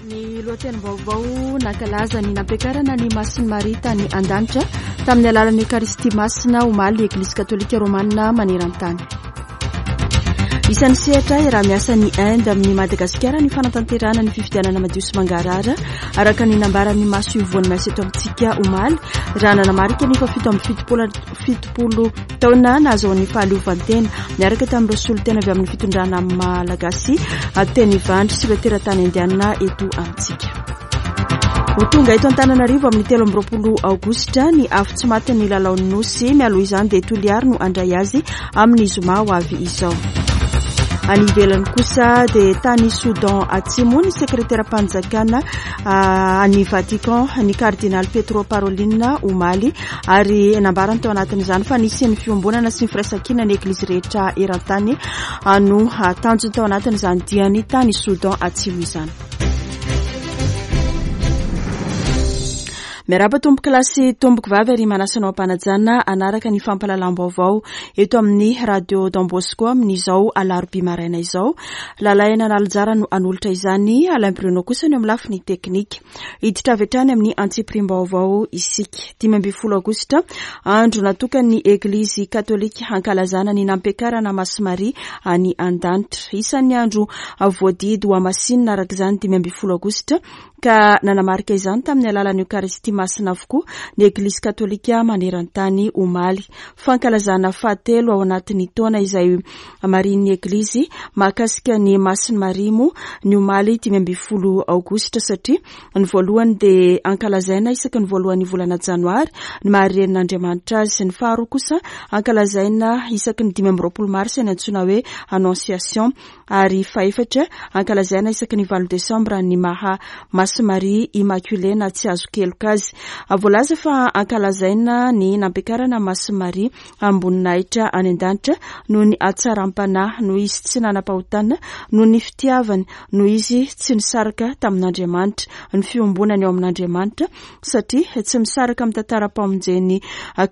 Ny lohatenim-baovao nankalaza ny nampiakarana ny Masin'i Maria tany an-danitra tamin'ny alalan'ny Ekaristia Masina omaly ny Eglizy Katolika Romana maneran-tany. Isan'ny sehatra iaraha-miasan'ny Inde amin'i Madagasikara ny fanatanterahana ny fifidianana madio sy mangarahara araka ny nambaran'ny maso ivohon'ny miasa eto amintsika omaly raha nanamarika ny faha-77 taona nahazoan'ny fahaleovantena niaraka tamin'ireo solontena avy amin'ny fitondrana malagasy teny Ivandry sy ireo teratany indianina eto amintsika. Ho tonga eto Antananarivo amin'ny 23 aogositra ny afo tsy matin'ny lalaon'ny Nosy. Mialoha izany dia Toliary no handray azy amin'ny zoma ho avy izao. Any ivelany kosa dia tany Soudan Atsimo ny sekreteram-panjakana ah, any Vatican ny kardinaly Pietro Parolin omaly ary nambarany tao anatin'izany fa nisy ny fiombonana sy ny firaisankina ny eglizy rehetra eran-tany ah, no ah, tanjony tao anatin'izany diany tany Soudan Atsimo izany. Miarahaba tompoko lahy sy tompoko vavy ary manasa anao am-panajana hanaraka ny fampahalalam-baovao eto amin'ny Radio Don Bosco amin'izao alarobia maraina izao. Lalaina Analanjara no hanolotra izany, Alain Bruno kosa no eo amin'ny lafiny teknika. Hiditra avy hatrany amin'ny antsipiriam-baovao isika. 15 aogositra, andro natokan'ny Eglizy katolika hankalazana ny nampiakarana Masimaria any an-danitra. Isan'ny andro voadidy ho hamasinina araka izany 15 aogositra ka nanamarika izany tamin'ny alalan'ny Eokaristia Masina avokoa ny Eglizy Katolika maneran-tany omaly. Fankalazana fahatelo ao anatin'ny taona izay marihin'ny Eglizy mahakasika ny Masin'i Maria moa ny omaly 15 aogositra satria ny voalohany dia ankalazaina isaky ny voalohan'ny volana janoary ny maha renin'Andriamanitra azy, ny faharoa kosa ankalazaina isaky ny 25 marsa ny antsoina hoe Annonciation. ary fahefatra, ankalazaina isaky ny valo desambra ny maha Masy Maria Immaculée na tsy azon-keloka azy. Voalaza fa ankalazaina ny nampiakarana Masy Maria amim-boninahitra any an-danitra noho ny hatsaram-panahy, noho izy tsy nanam-pahotana, noho ny fitiavany, noho izy tsy nisaraka tamin'Andriamanitra, ny fiombonany ao amin'Andriamanitra, satria tsy misaraka amin'ny tantaram-pamonjen'i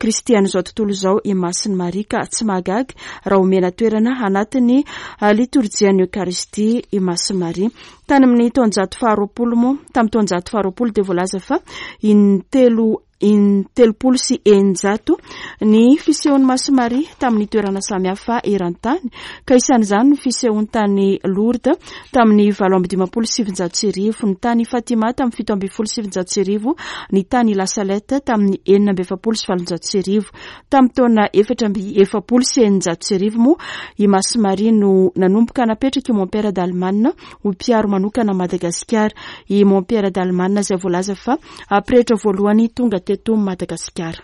Kristy an'izao tontolo izao i Masin'i Maria ka tsy mahagaga raha omena toerana anatin'ny litorjian'ny Eokaristia i Masin'i Maria. Tany amin'ny taonjato faharoapolo moa, tamin'ny taonjato faharoapolo dia voalaza fa intelo 630 ny fisehon'i Masin'i Maria tamin'ny toerana samihafa eran-tany ka isan'izany ny fisehony tany Lourdes tamin'ny 1958, ny tany Fatima tamin'ny 1917, ny tany La Salette tamin'ny 1846. Tamin'ny taona 1644 moa i Masin'i Maria no nanomboka napetraka i Mompera Dalman ho mpiaro manokana Madagasikara. I Mompera Dalman izay voalaza fa pretra voalohany tonga teto Madagasikara.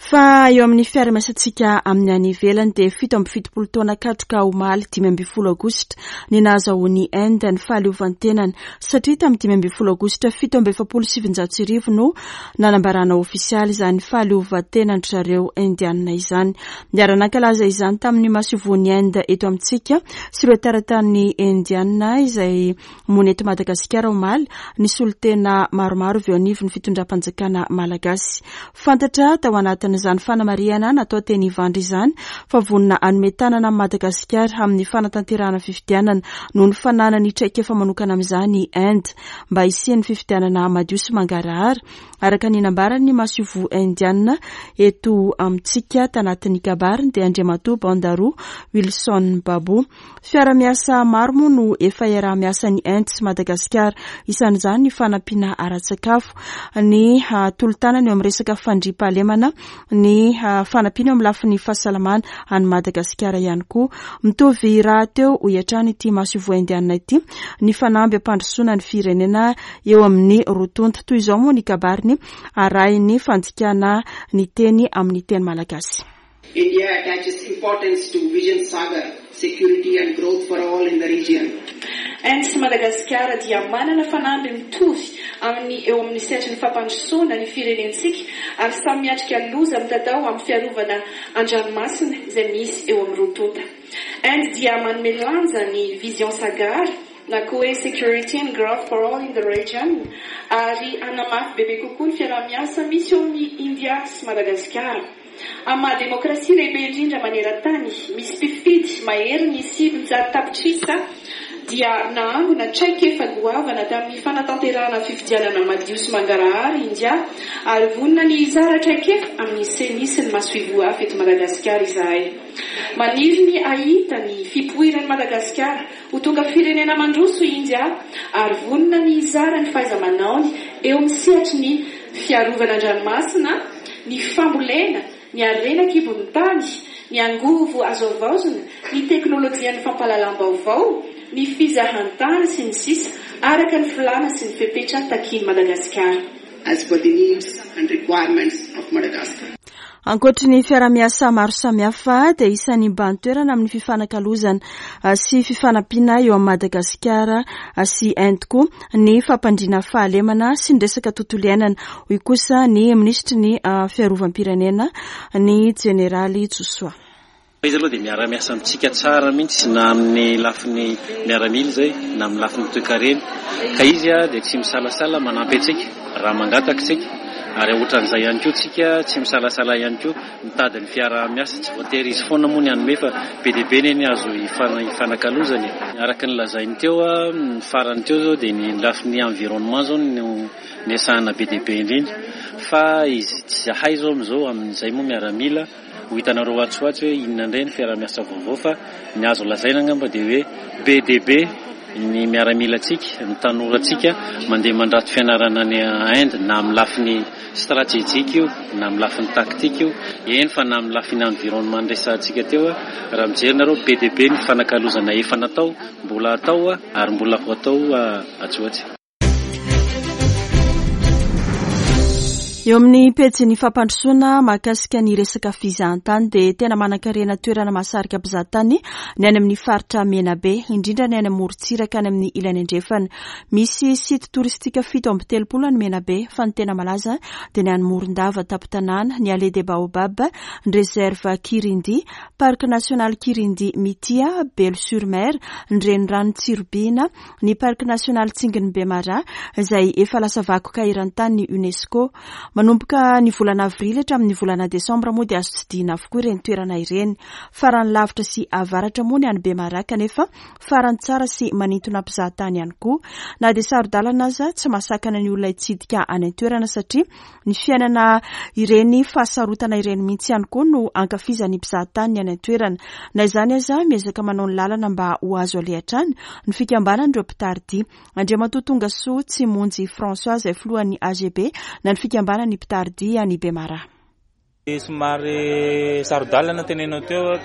Fa eo amin'ny fiarahamiasantsika amin'ny any ivelany dia 77 taona katroka omaly 15 aogositra ny nahazahoan'i Inde ny fahaleovantenany satria tamin'ny 15 aogositra 1947 no nanambarana ofisialy izany fahaleovantenan-dry zareo Indianina izany. Niara-nankalaza izany tamin'ny masoivohon'i Inde eto amintsika sy ireo teratany Indianina izay Monina eto Madagasikara omaly ny solontena maromaro avy eo anivon'ny fitondram-panjakana malagasy. Fantatra tao anatin'izany fanamarihana natao teny Ivandry izany fa vonona hanome tanana an'i Madagasikara amin'ny fanatanterahana fifidianana noho ny fananany traikefa manokana amin'izany i Inde mba hisian'ny fifidianana madio sy mangarahara araka ny nambaran'ny masoivoho indiana eto amintsika tanatin'ny kabariny dia Andriamatoa Bandaru Wilson Babu. Fiara-miasa maro moa no efa iaraha-miasan'ny Inde sy Madagasikara. Isan'izany ny fanampiana ara-tsakafo, ny tolo-tanana eo amin'ny resaka fandriampahalemana, ny fanampiana eo amin'ny lafiny fahasalamana any Madagasikara ihany koa. Mitovy rahateo, hoy hatrany ity masoivoho indianina ity, ny fanamby hampandrosoana ny firenena eo amin'ny roa tonta. Toy izao moa ny kabariny arahin'ny fandikana ny teny amin'ny teny malagasy. India attaches importance to Vision Sagar, security and growth for all in the region. Inde sy Madagasikara dia manana fanamby mitovy amin'ny eo amin'ny sehatry ny fampandrosoana ny firenentsika ary samy miatrika loza mitatao amin'ny fiarovana an-dranomasina izay misy eo amin'ny roa tonta. Inde dia manome lanja ny Vision Sagar na koa hoe Security and Growth for All in the Region ary hanamafy bebe kokoa ny fiaraha-miasa misy eo amin'i India sy Madagasikara. Amin'ny maha demokrasia lehibe indrindra maneran-tany, misy mpifidy maherin'ny 900 tapitrisa. dia nahangona traikefa goavana tamin'ny fanatanterahana fifidianana madio sy mangarahara India ary vonona ny hizara traikefa amin'ny Ceni sy ny masoivoho hafa eto Madagasikara izahay. Maniry ny hahita ny fipoiran'i Madagasikara ho tonga firenena mandroso i India ary vonona ny hizara ny fahaiza-manaony eo amin'ny sehatry ny fiarovana an-dranomasina, ny fambolena, ny harena an-kibon'ny tany, ny angovo azo havaozina, ny teknolojian'ny fampahalalam-baovao, ny fizahantany, sy ny sisa araka ny filàna sy ny fepetra takian'i Madagasikara. As per the needs and requirements of Madagascar. Ankoatry ny fiaraha-miasa maro samihafa dia isan'ny mibahan-toerana amin'ny fifanakalozana sy fifanampiana eo amin'i Madagasikara sy Inde koa ny fampandriana fahalemana sy ny resaka tontolo iainana, hoy kosa ny minisitry ny fiarovam-pirenena, ny jeneraly Josoa. Izy aloha dia miara-miasa amintsika tsara mihitsy na amin'ny lafiny miaramila izay na amin'ny lafiny toekarena ka izy dia tsy misalasala manampy antsika raha mangataka isika ary ohatran'izay ihany koa tsika tsy misalasala ihany koa mitady ny fiaraha-miasa, tsy voatery izy foana moa ny hanome fa be dia be ny azo ifanakalozana e. Araka ny lazainy teo ny farany teo izao dia ny lafiny environnement izao no niasahana be dia be indrindra fa izy tsy zahay izao amin'izao amin'izay moa miaramila Ho hitanareo atsy ho atsy hoe inona indray ny fiaraha-miasa vaovao fa ny azo lazaina angamba dia hoe be dia be ny miaramilantsika, ny tanorantsika mandeha mandrato fianarana any Inde na amin'ny lafiny stratejika io na amin'ny lafiny taktika io, eny fa na amin'ny lafiny environnement niresahantsika teo raha mijery nareo be dia be ny fanakalozana efa natao, mbola atao ary mbola ho atao atsy ho atsy. Eo amin'ny pejin'ny fampandrosoana mahakasika ny resaka fizahantany dia tena manankarena toerana mahasarika mpizahatany ny any amin'ny faritra Menabe, indrindra ny any amorontsiraka any amin'ny ilany andrefana. Misy site touristique 37 any Menabe fa ny tena malaza dia ny any Morondava tampon-tanàna, ny Allée des Baobabs, ny Réserve Kirindy, Parc National Kirindy Mitia, Belo sur Mer, ny renirano Tsiribihina, ny Parc National Tsingin'i Bemaraha izay efa lasa vakoka eran-tany ny Unesco. Manomboka ny volana avrily hatramin'ny volana desambra moa dia azo tsidihina avokoa ireny toerana ireny. Farany lavitra sy avaratra moa ny any Bemaraha kanefa farany tsara sy manintona mpizahatany ihany koa. Na dia saro-dalana aza, tsy mahasakana ny olona hitsidika any an-toerana satria Ny fiainana ireny fahasarotana ireny mihitsy ihany koa no ankafizan'ny mpizahatany ny any an-toerana. Na izany aza, miezaka manao ny lalana mba ho azo aleha hatrany ny fikambanan'ireo mpitari-dia. Andriamatoa Tongasoa Tsimonjy François izay filohan'ny AGB na ny fikambanan'ny mpitari-dia any Bemaraha. Somary saro-dalana tenenao teo,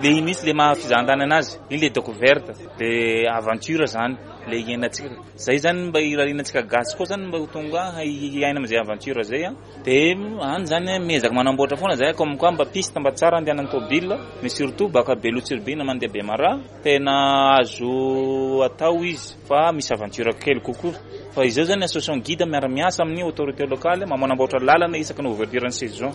le iny mihitsy le maha fizahantany anazy, iny le découverte, le aventure zany, le iainantsika. Zay zany mba irarianantsika gasy koa zany mba ho tonga hiaina am'zay aventure zay an. De any zany miezaka manamboatra foana zay comme quoi mba piste mba tsara andehanan'ny tôbila, mais surtout baka Beloha Tsiribihina mandeha Bemaraha, tena azo atao izy fa misy aventure kely kokoa. Fa izao zany association guide miara-miasa amin'ny autorité locale manamboatra lalana isaky ny ouverture ny saison.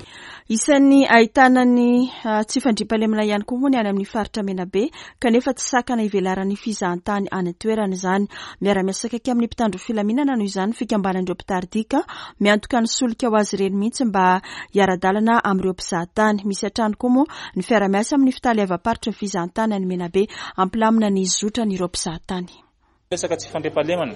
Isan'ny ahitana ny tsy fandriampahalemana ihany koa moa ny any amin'ny faritra Menabe kanefa tsy sakana ivelaran'ny fizahantany any an-toerana izany. Miara-miasa akaiky amin'ny mpitandro filaminana noho izany ny fikambanan'ireo mpitari-dia ka miantoka ny solika ho azy ireny mihitsy mba hiara-dalana amin'ireo mpizahatany. Misy hatrany koa moa ny fiara-miasa amin'ny fitaleavam-paritry ny fizahantany any Menabe hampilamina ny zotran'ireo mpizahatany. Resaka tsy fandriampahalemana,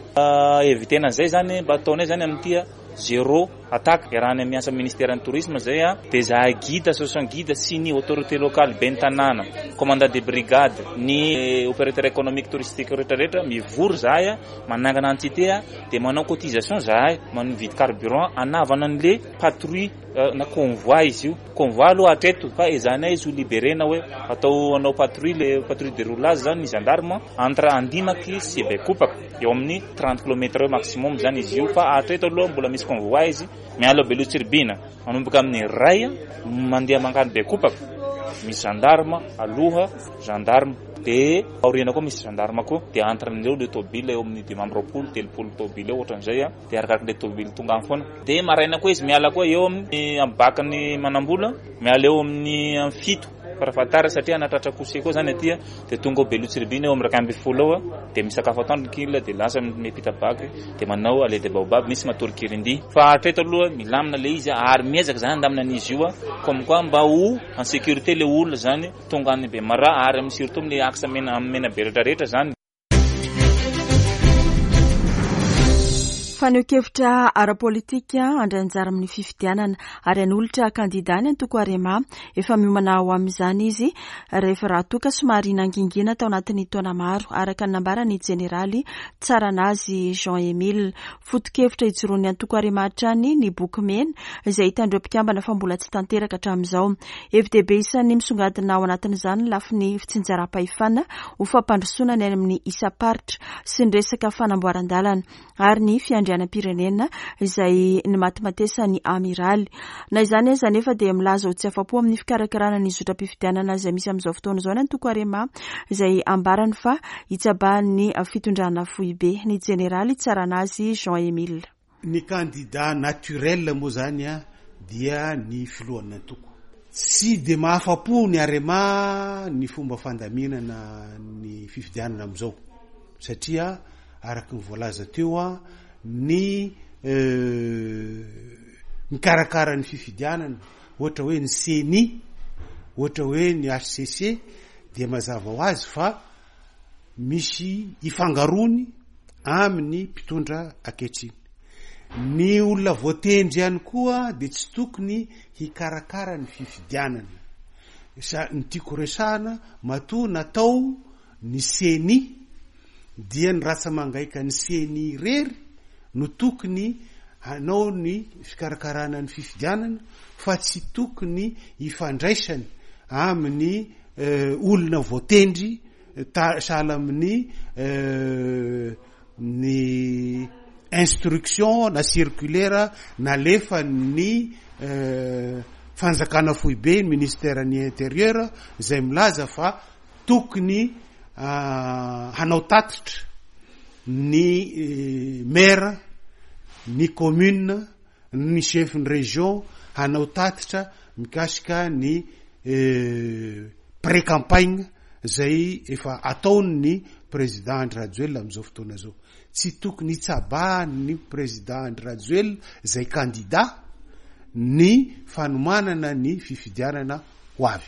éviter-na an'izay zany mba ataonay zany amin'ity zéro attaque iarahanay miasa amin'ny ministeran'ny tourisme zay dia zahay guide, association guide sy ny autorité locale, ben'ny tanàna, commandant de brigade, ny opérateur économique touristique rehetra rehetra mivory zahay manangana entité dia manao cotisation zahay mividy carburant hanavana an'le patrouille na convoi izy io, convoi aloha hatreto fa ezahanay izy ho liberena hoe atao hanao patrouille le patrouille de roulage zany ny gendarme entre Andimaky sy Bekopaka eo amin'ny 30 kilomètre eo maximum zany izy io fa hatreto aloha mbola misy convoi izy miala ao Beloha Tsiribihina manomboka amin'ny iray mandeha mankany Bekopaka misy gendarme aloha gendarme de aoriana koa misy gendarme koa de entre an'ireo le tôbila eo amin'ny 25 30 tôbila eo ohatran'izay. Dia arakaraka ilay tômôbily tonga any foana. Dia maraina koa izy miala koa eo amin'ny amin'ny bac-n'ny Manambola, miala eo amin'ny amin'ny fito farafahatara satria hanatratra coucher koa zany aty dia tonga ao Beloha Tsiribihina eo amin'ny 11 eo dia misakafo atoandro ny kil dia lasa miampita bac dia manao allée des baobabs misy matory kirindi. Fa hatreto aloha milamina ilay izy ary miezaka zany handamina an'izy io comme quoi mba ho en sécurité ilay olona zany tonga any Bemaraha ary amin'ny surtout amin'ny axe mena amin'ny Menabe rehetra rehetra zany. Fanehoan-kevitra ara-politika handray anjara amin'ny fifidianana ary hanolotra kandidà ny antoko Arema. Efa miomana ho amin'izany izy rehefa raha toa ka somary nangingina tao anatin'ny taona maro, araka ny nambaran'ny jeneraly Tsaranazy Jean Emile. Foto-kevitra ijoroan'ny antoko Arema hatrany ny boky mena izay hitan'ireo mpikambana fa mbola tsy tanteraka hatramin'izao. Hevi-dehibe isan'ny misongadina ao anatin'izany ny lafiny fitsinjaram-pahefana ho fampandrosoana ny any amin'ny isam-paritra sy ny resaka fanamboaran-dalana ary ny fiandrianam-pirenena izay nimatimatesan'ny amiraly. Na izany aza anefa dia milaza ho tsy afa-po amin'ny fikarakarana ny zotram-pifidianana izay misy amin'izao fotoana izao ny antoko Arema izay ambarany fa hitsabahan'ny fitondrana foibe. Ny jeneraly Tsaranazy Jean Emile. Ny kandida naturel moa zany dia ny filohan'ny antoko. Tsy dia mahafa-po ny Arema ny fomba fandaminana ny fifidianana amin'izao satria araka ny voalaza teo ny mikarakara ny fifidianana ohatra hoe ny ceni, ohatra hoe ny HCC dia mazava ho azy fa misy ifangaroany amin'ny mpitondra ankehitriny. Ny olona voatendry ihany koa dia tsy tokony hikarakara ny fifidianana. Sa ny tiako resahana, matoa natao ny ceni dia ny ratsa-mangaikan'ny ceni irery no tokony hanao ny fikarakarana ny fifidianana fa tsy tokony hifandraisany amin'ny olona voatendry sahala amin'ny ny instruction na circulaire nalefan'ny fanjakana foibe, ny ministère ny intérieur izay milaza fa tokony hanao tatitra ny maire, ny commune, ny chef ny région hanao tatitra mikasika ny pré-campagne zay efa ataon'ny président Andry Rajoelina amin'izao fotoana izao. Tsy tokony hitsabahan'ny président Andry Rajoelina izay candidat ny fanomanana ny fifidianana ho avy.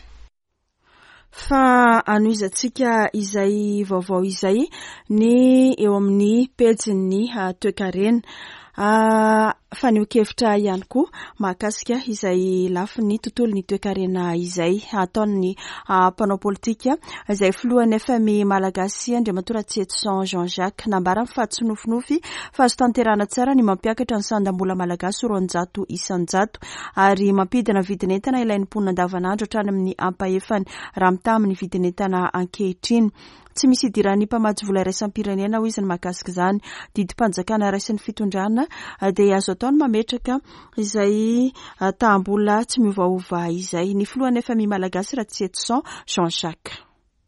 Fa hanohizantsika izay vaovao izay ny eo amin'ny pejin'ny toekarena. Fanehoan-kevitra ihany koa mahakasika izay lafiny tontolon'ny toekarena izay ataon'ny mpanao politika izay filohan'ny FMI Malagasy Andriamatoa Ratsietison Jean Jacques. Nambarany fa tsy nofinofy fa azo tanterahana tsara ny mampiakatra ny sandam-bola malagasy 200 isan-jato. ary mampidina vidin'entana ilain'ny mponina andavanandro hatrany amin'ny ampahefany raha mitaha amin'ny vidin'entana ankehitriny. Tsy misy idiran'ny mpamatsy vola iraisam-pirenena hoy izy ny mahakasika izany. Didim-panjakana raisin'ny fitondrana dia azo atao ny mametraka izay taham-bola tsy miovaova izay. Ny filohan'ny FMI Malagasy Ratsietison Jean Jacques.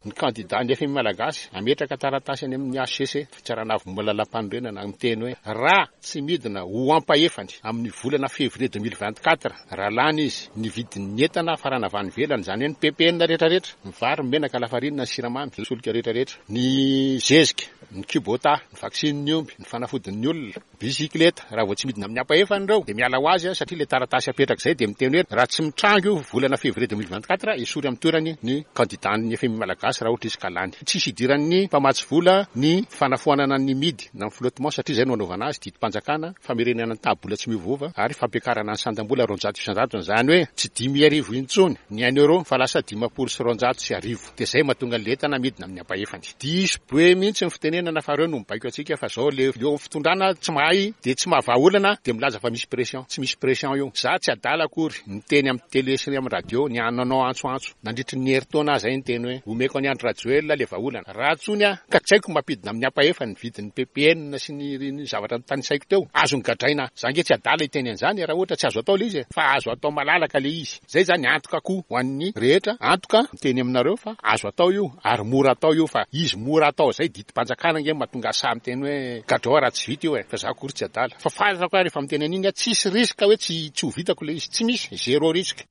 Ny kandidà ny fmi Malagasy hametraka taratasy any amin'ny hcc, Fitsarana Avo Momba ny Lalàmpanorenana, miteny hoe raha tsy midina ho ampahefany amin'ny volana février 2024, raha lany izy, ny vidin'ny entana hafarana avy any ivelany, izany hoe ny ppn rehetrarehetra, ny vary, ny menaka, lafarinina, ny siramamy, ny solika rehetrarehetra, ny zezika, ny kubota, ny vaksinin'ny omby, ny fanafodin'ny olona, Bisikileta, raha vao tsy midina amin'ny ampahefany ireo dia miala ho azy satria ilay taratasy apetraka izay dia miteny hoe raha tsy mitranga io volana février 2024 esory amin'ny toerany ny candidat-n'ny fmi Malagasy raha ohatra izy ka lany. Tsisy idiran'ny mpamatsy vola ny fanafoanana ny midy na ny flottement satria izay no anaovana azy, didim-panjakana, famerenana ny taha-bola tsy miovaova ary fampiakarana ny sandam-bola 200% izany hoe tsy 5000 intsony ny un euro fa lasa 1050. Dia zay mahatonga an'le entana midina amin'ny ampahefany. Diso be mihitsy ny fitenenana fa reo no mibaiko antsika fa zao le eo amin'ny fitondrana tsy mahay dia tsy mahavaha olana dia milaza fa misy pression. Tsy misy pression io. Za tsy adala akory niteny amin'ny télé sy amin'ny radio ny nanao antso antso nandritry ny herintaona aho zay niteny hoe omeko an'i Andry Rajoelina le vahaolana. Raha tsony aho ka tsy haiko mampidina amin'ny ampahefany ny vidin'ny ppn sy ny zavatra notanisaiko teo. Azony gadraina aho. Za nge tsy adala hiteny an'izany e raha ohatra tsy azo atao le izy e. Fa azo atao malalaka le izy. Zay zany antoka koa ho an'ny rehetra, antoka miteny aminareo fa azo atao io ary mora atao io fa izy mora atao zay didim-panjakana ange no mahatonga ahy sahy miteny hoe gadrao raha tsy vita io e, fa za akory tsy adala fa fantako aho rehefa miteny an'iny aho tsisy risque hoe tsy tsy ho vitako le izy, tsy misy, zéro risque.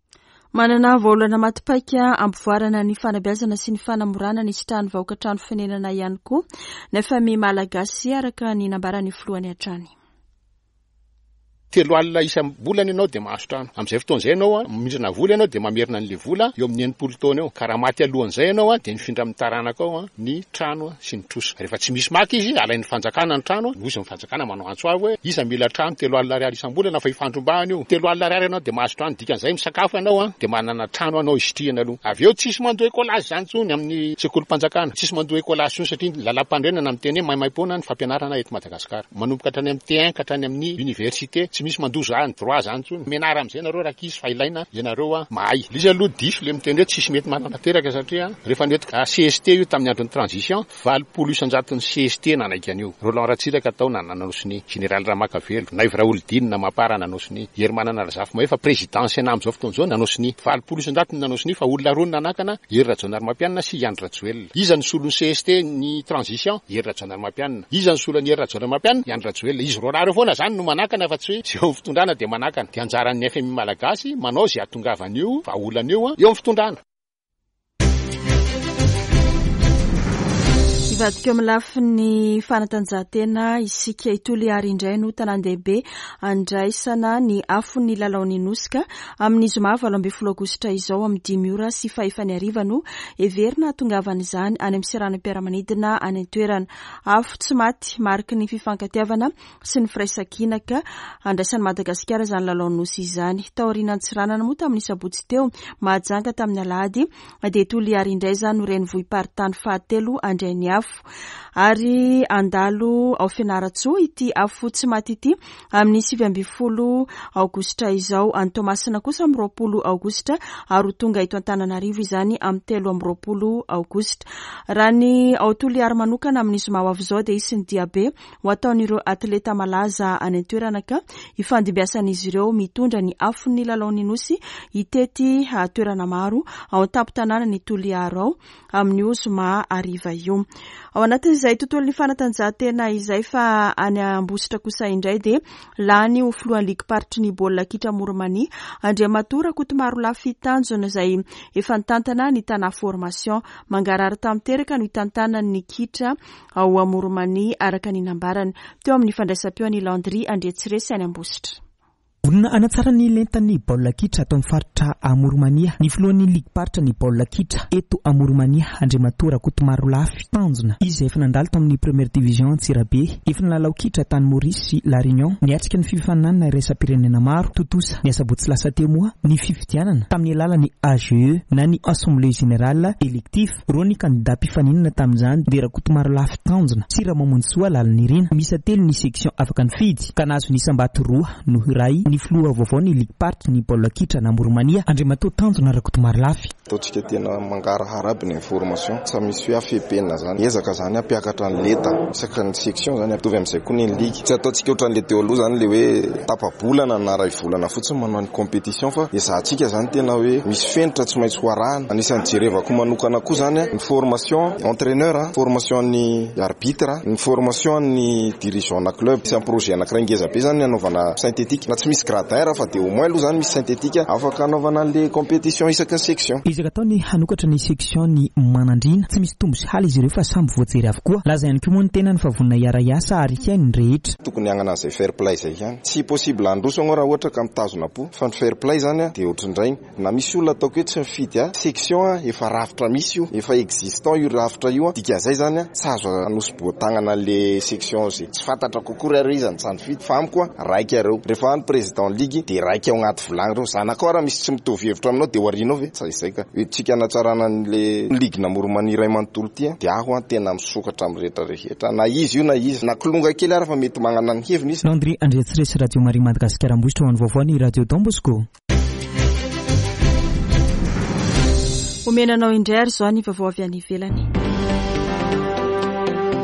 Manana vahaolana maty paika hampivoarana ny fanabeazana sy ny fanamorana ny hisitrahan'ny vahoaka trano fonenana ihany koa ny FMI Malagasy araka ny nambaran'ny filohany hatrany. 30 isam-bolana ianao dia mahazo trano. Amin'izay fotoana izay ianao mindrana vola ianao dia mamerina an'ilay vola eo amin'ny 60 taona eo. Ka raha maty alohan'izay ianao dia mifindra amin'ny taranakao ny trano sy ny trosa. Rehefa tsy misy maka izy, alain'ny fanjakana ny trano, noho izy ny fanjakana manao antso avo hoe iza mila trano 30 ariary isam-bolana fa ifandrombahana io. 30 ariary ianao dia mahazo trano, dikan'izay misakafo ianao dia manana trano anao hisitrihana aloha. Avy eo tsisy mandoa écolage izany intsony amin'ny sekolim-panjakana. Tsisy mandoa écolage intsony satria ny lalàm-panorenana miteny hoe maimaimpoana ny fampianarana eto Madagasikara. Manomboka hatrany amin'ny T1 ka hatrany amin'ny université, tsy misy mandoa zany droit zany intsony. Mianara amin'izay nareo rankizy fa ilaina ianareo mahay. Ilay izy aloha diso ilay miteny hoe tsisy mety manatanteraka satria rehefa nentiko CST io tamin'ny andron'ny transition, 80 isan-jaton'ny CST nanaiky an'io. Roland Ratsiraka tao nanao sonia, Général Ramakavelo, Naivo Raholidinina, Mapar nanao sonia, Herimanana Razafimahefa, Président Sénat amin'izao fotoana izao nanao sonia. 80 isan-jatony nanao sonia fa olona roa no nanakana, Hery Rajaonarimampianina sy i Andry Rajoelina. Iza no solon'ny CST ny transition? Hery Rajaonarimampianina. Iza no solon'i Hery Rajaonarimampianina? I Andry Rajoelina. Izy roalahy ireo foana izany no manakana fa tsy hoe izay eo amin'ny fitondrana dia manakana. Dia anjaran'ny FMI Malagasy manao izay hahatongavan'io vahaolana io eo amin'ny fitondrana. Hivadika eo amin'ny lafiny fanatanjahantena isika. I Toliary indray no tanàn-dehibe andraisana ny afon'ny lalaon'ny Nosy ka amin'ny zoma 18 aogositra izao amin'ny dimy ora sy fahefany hariva no heverina hahatongavan'izany any amin'ny seranam-piaramanidina any an-toerana. Afo tsy maty, mariky ny fifankatiavana sy ny firaisankina ka handraisan'i Madagasikara izany lalaon'ny Nosy izany. Taorian'Antsiranana moa tamin'ny sabotsy teo, Mahajanga tamin'ny alahady, dia Toliary indray izany no renivohi-paritany fahatelo handray ny afo. Ary handalo ao Fianarantsoa ity afo tsy maty ity amin'ny 19 aogositra izao. Any Toamasina kosa amin'ny 20 aogositra ary ho tonga eto Antananarivo izany amin'ny 23 aogositra. Raha ny ao Toliary manokana amin'ny zoma ho avy izao dia hisy ny diabe ho ataon'ireo atleta malaza any an-toerana ka hifandimbiasan'izy ireo mitondra ny afon'ny lalaon'ny Nosy hitety toerana maro ao an-tampon-tanànan'i Toliara ao amin'io zoma hariva io. Ao anatin'izay tontolon'ny fanatanjahantena izay fa any Ambositra kosa indray dia lany ho filohan'ny ligim-paritry ny baolina kitra Amoron'i-Mania Andriamatoa Rakotomarolafy Tanjona izay efa nitantana ny Tana Formation. Mangarahara tanteraka no hitantanany ny kitra ao Amoron'i-Mania araka ny nambarany teo amin'ny fandraisam-peo an'i Landry Andriatsiresy any Ambositra. Vonona hanatsara ny lentan'ny baolina kitra ato amin'ny faritra Amoron'i-Mania ny filohan'ny ligim-paritra ny baolina kitra eto Amoron'i-Mania, Andriamatoa Rakotomarolafy Tanjona. Izy izay efa nandalo tamin'ny Première Division Antsirabe, efa nilalao kitra tany Maurice sy La Réunion, niatrika ny fifaninanana iraisam-pirenena maro. Tontosa ny asabotsy lasa teo moa ny fifidianana tamin'ny alalan'ny AGE na ny Assemblée Générale Élective. Roa ny kandidà mpifaninana tamin'izany dia Rakotomarolafy Tanjona sy Ramamonjisoa Lalinirina. Miisa telo ny section afaka nifidy ka nahazo ny isam-bato roa noho iray ny filoha vaovao ny ligim-paritry ny baolina kitra an'Amoronmania, Andriamatoa Tanjona Rakotomarolafy. Ataontsika tena mangarahara aby ny information, tsy misy hoe afebena zany, ezaka zany hampiakatra ny lenta isaky ny section zany, mitovy amin'izay koa ny ligue, tsy ataontsika ohatran'le teo aloha zany le hoe tapa-bolana na ray volana fotsiny manao ny competition fa ezahantsika zany tena hoe misy fenitra tsy maintsy ho arahana. Anisan'ny jerevako manokana koa zany ny formation entraineur, formation ny arbitre, ny formation ny dirigeant na club. Isan'ny projet anankiray ngeza be zany ny hanaovana synthétique na tsy misy gradin raha fa dia au moins aloha zany misy synthétique afaka hanaovana an'le competition isaky ny section. Ezaka atao ny hanokatra ny section ny Manandriana. Tsy misy tombo sy hala izy ireo fa samy voajery avokoa. Laza ihany koa moa ny tenany fa vonona hiara-hiasa ary hihaino ny rehetra. Tokony hagnana an'izay fair play izay ihany. Tsy possible handroso anao raha ohatra ka mitazona am-po fa ny fair play zany dia ohatrindrainy. Na misy olona ataoko hoe tsy mifidy ahy, section efa rafitra misy io, efa existant io rafitra io, dikan'izay zany tsy azo anosiboa-tagnana an'le section ze tsy fantatra kokory ary hoe iza no tsy nifidy fa amiko raika ireo, rehefa any président ligue de raika ao agnaty vilagny reo, zanakao raha misy tsy mitovy hevitra aminao de ho arianao ve? Tsy izay ka, hoentintsika hanatsarana an'le ligue n'Amoronmania iray manontolo ty de aho tena misokatra amin'ny rehetra rehetra na iza io na iza, na kilonga kely ary fa mety magnana ny heviny izy. Landry Andriatsiresy Radio Maria Madagasikara Ambositra ho an'ny vaovao ny Radio Don Bosco. Omena anao indray ary izao ny vaovao avy any ivelany.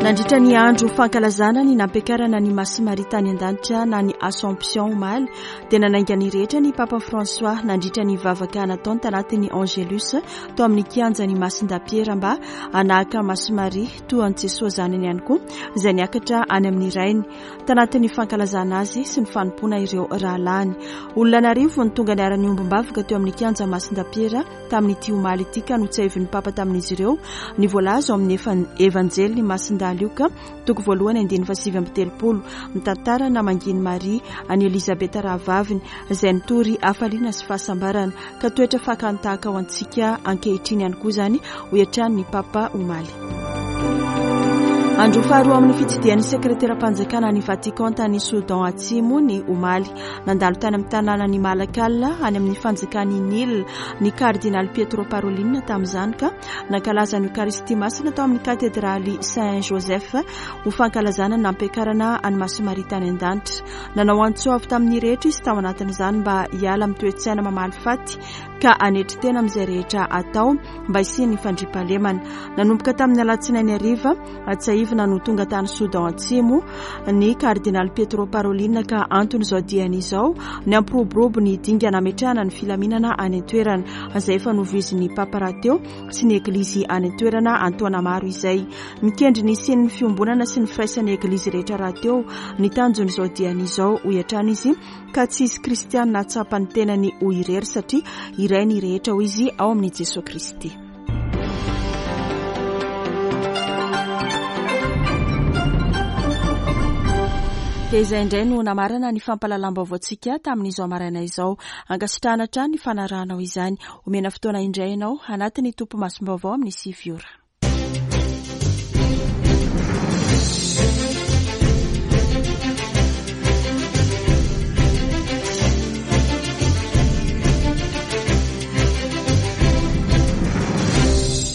Nandritra ny andro fankalazana ny nampiakarana ny Masin'i Maria tany an-danitra na ny Assomption omaly dia nanainga ny rehetra ny Papa François nandritra ny vavaka nataony tanatin'ny Angelus tao amin'ny kianjan'i Masindahy Piera mba hanahaka Masin'i Maria toa an'i Jesoa zanany ihany koa izay niakatra any amin'ny Rainy. Tanatin'ny fankalazana azy sy ny fanompoana ireo rahalahiny. Olona an'arivony tonga niara-niombom-bavaka teo amin'ny kianja Masindahy Piera tamin'ity omaly ity ka notsiahivin'ny Papa tamin'izy ireo ny voalaza ao amin'ny Evanjelin'i Masindahy. Lioka, toko voalohany andininy faha-39, mitantara namangian'i Maria an'i Elizabeta rahavaviny, izay nitory hafaliana sy fahasambarana, ka toetra fakan-tahaka ho antsika ankehitriny ihany koa izany, hoy hatrany ny Papa omaly. Andro faharoa amin'ny fitsidihan'ny sekreteram-panjakana any Vatican tany Soudan Atsimo ny omaly. Nandalo tany amin'ny tanànan'i Malakal any amin'ny fanjakan'i Nil ny kardinaly Pietro Parolin tamin'izany ka nankalaza ny Eokaristia Masina tao amin'ny katedraly Saint Joseph ho fankalazana ny nampiakarana an'i Masin'i Maria tany an-danitra. Nanao antso avo tamin'ny rehetra izy tao anatin'izany mba hiala amin'ny toe-tsaina mamaly faty ka hanetry tena amin'izay rehetra atao mba hisian'ny fandriampahalemana. Nanomboka tamin'ny alatsinainy hariva, tsiahivina no tonga tany Soudan Atsimo ny kardinaly Pietro Parolin ka anton'izao diany izao ny hampiroborobo ny dingana hametrahana ny filaminana any an-toerana izay efa novoizin'ny Papa rahateo sy ny Eglizy any an-toerana an-taona maro izay. Mikendry ny hisian'ny fiombonana sy ny firaisan'ny Eglizy rehetra rahateo ny tanjon'izao diany izao, hoy hatrany izy, ka tsy hisy kristiana hahatsapa ny tenany ho irery satria iray ny rehetra, hoy izy, ao amin'i Jesoa Kristy. Dia izay indray no namarana ny fampahalalam-baovaontsika tamin'izao maraina izao. Ankasitrahana hatrany ny fanarahanao izany. Omena fotoana indray ianao anatin'ny topimasom-baovao amin'ny 9 ora.